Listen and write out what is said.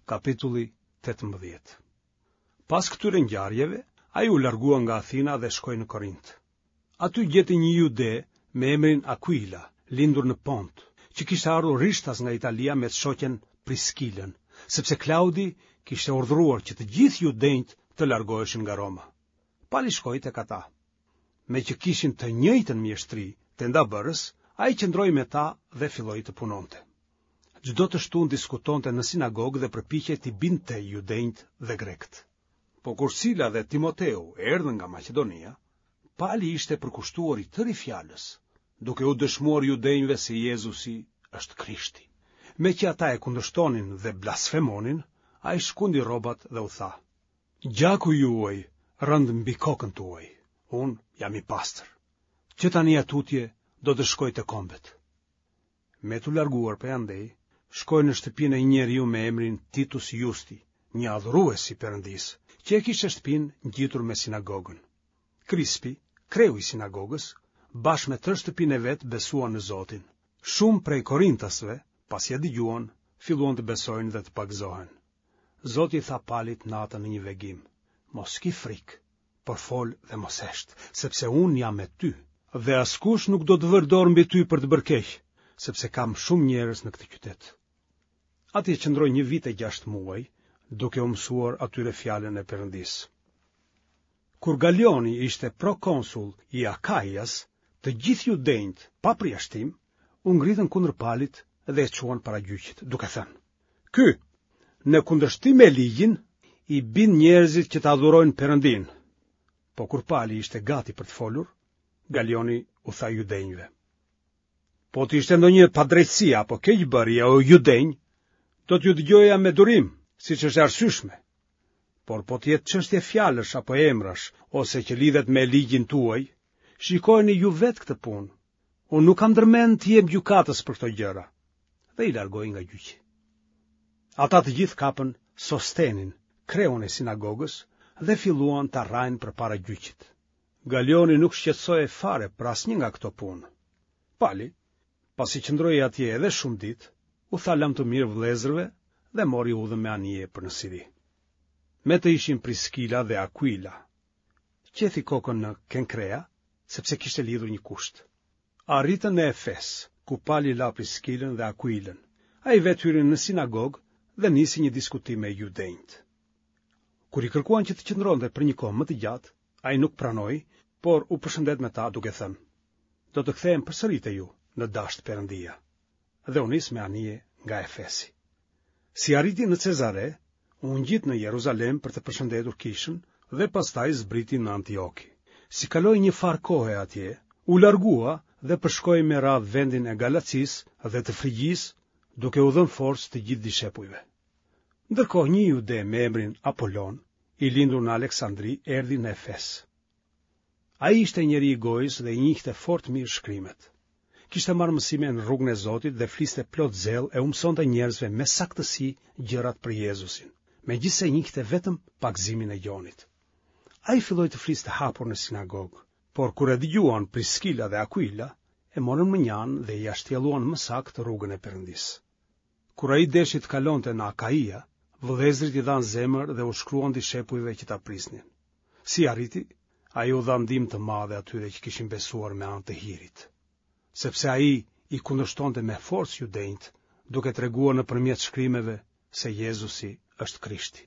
Kapitulli 18 Pas këtyre ngjarjeve, ai u largua nga Athina dhe shkoi në Korint. Aty gjeti një jude me emrin Akuila, lindur në Pont, që kishte ardhur rishtas nga Italia me të shoqen Priskilën, sepse Klaudi kishte urdhëruar që të gjithë judenjtë të largoheshin nga Roma. Pali shkoi tek ata. Meqë kishin të njëjtën mjeshtri tendabërës, ai qëndroi me ta dhe filloi të punonte. Çdo të shtunë diskutonte në sinagogë dhe përpiqej t'i bindte judenjtë dhe grekët. Po kur Sila dhe Timoteu erdhën nga Maqedonia, Pali ishte përkushtuar i tëri fjalës, duke u dëshmuar judenjve se Jezusi është Krishti. Meqë ata e kundërshtonin dhe blasfemonin, ai shkundi rrobat dhe u tha: Gjaku juaj rëntë mbi kokën tuaj, unë jam i pastër. Që tani e tutje do të shkoj te kombet. Me t'u larguar prej andej, shkoi në shtëpinë e një njeriu me emrin Titus Justi, një adhurues i Perëndisë, që e kishte shtëpinë ngjitur me sinagogën. Krispi, kreu i sinagogës, bashkë me tërë shtëpinë e vet besuan në Zotin. Shumë prej korintasve, pasi e dëgjuan, filluan të besojnë dhe të pagëzohen. Zoti i tha Palit natën në një vegim, mos ki frikë, por fol dhe mos hesht, sepse unë jam me ty, dhe askush nuk do të vërë dorë mbi ty për të bërë keq, sepse kam shumë njerëz në këtë qytet. Atje qëndroi një vit e gjashtë muaj, duke u mësuar atyre fjalën e Perëndisë. Kur Galioni ishte prokonsull i Akaias, të gjithë judenjtë, pa përjashtim, u ngritën kundër Palit dhe e çuan para gjyqit, duke thënë: Ky, në kundërshtim me ligjin, i bind njerëzit që të adhurojnë Perëndinë. Po kur Pali ishte gati për të folur, Galioni u tha judenjve. Po të ishte ndonjë padrejtësi apo keqbërje o judenj, do t'ju dëgjoja me durim, siç është e arsyeshme. Por po të jetë çështje fjalësh apo emrash, ose që lidhet me ligjin tuaj, shikojeni ju vetë këtë punë. Unë nuk kam ndërmend të jem gjykatës për këto gjëra. Dhe i largoi nga gjyqi. Ata të gjithë kapën Sostenin, kreun e sinagogës, dhe filluan ta rrahin përpara gjyqit. Galioni nuk shqetësohej fare për asnjë nga këto punë. Pali, pasi qëndroi atje edhe shumë ditë, u tha lamtumirë vëllezërve dhe mori udhën me anije për në Siri. Me të ishin Priskila dhe Akuila. Qethi kokën në Kenkrea, sepse kishte lidhur një kusht. Arritën në Efes, ku Pali la Priskilën dhe Akuilën. Ai vetë hyri në sinagogë dhe nisi një diskutim me judenjtë. Kur i kërkuan që të qëndronte për një kohë më të gjatë, ai nuk pranoi, por u përshëndet me ta duke thënë: Do të kthehem përsëri te ju, në dashtë Perëndia. Dhe u nis me anije nga Efesi. Si arriti në Cezare, u ngjit në Jeruzalem për të përshëndetur kishën dhe pastaj zbriti në Antioki. Si kaloi një farë kohe atje, u largua dhe përshkoi me radhë vendin e Galacisë dhe të Frigjisë, duke u dhënë forcë të gjithë dishepujve. Ndërkohë një jude me emrin Apolon, i lindur në Aleksandri, erdhi në Efes. Ai ishte njeri i gojës dhe i njihte fort mirë shkrimet. Kishte marrë mësime në rrugën e Zotit dhe fliste plot zell e u mësonte njerëzve me saktësi gjërat për Jezusin, megjithëse njihte vetëm pagëzimin e Gjonit. Ai filloi të fliste hapur në sinagogë, por kur e dëgjuan Priskila dhe Akuila, e morën mënjanë dhe ia shtjelluan më saktë rrugën e Perëndisë. Kur ai deshi të kalonte në Akaia, vëllezërit i dhanë zemër dhe u shkruan dishepujve që ta prisnin. Si arriti, ai u dha ndihmë të madhe atyre që kishin besuar me anë të hirit. Sepse ai i kundërshtonte me forcë judenjtë, duke treguar nëpërmjet shkrimeve se Jezusi është Krishti.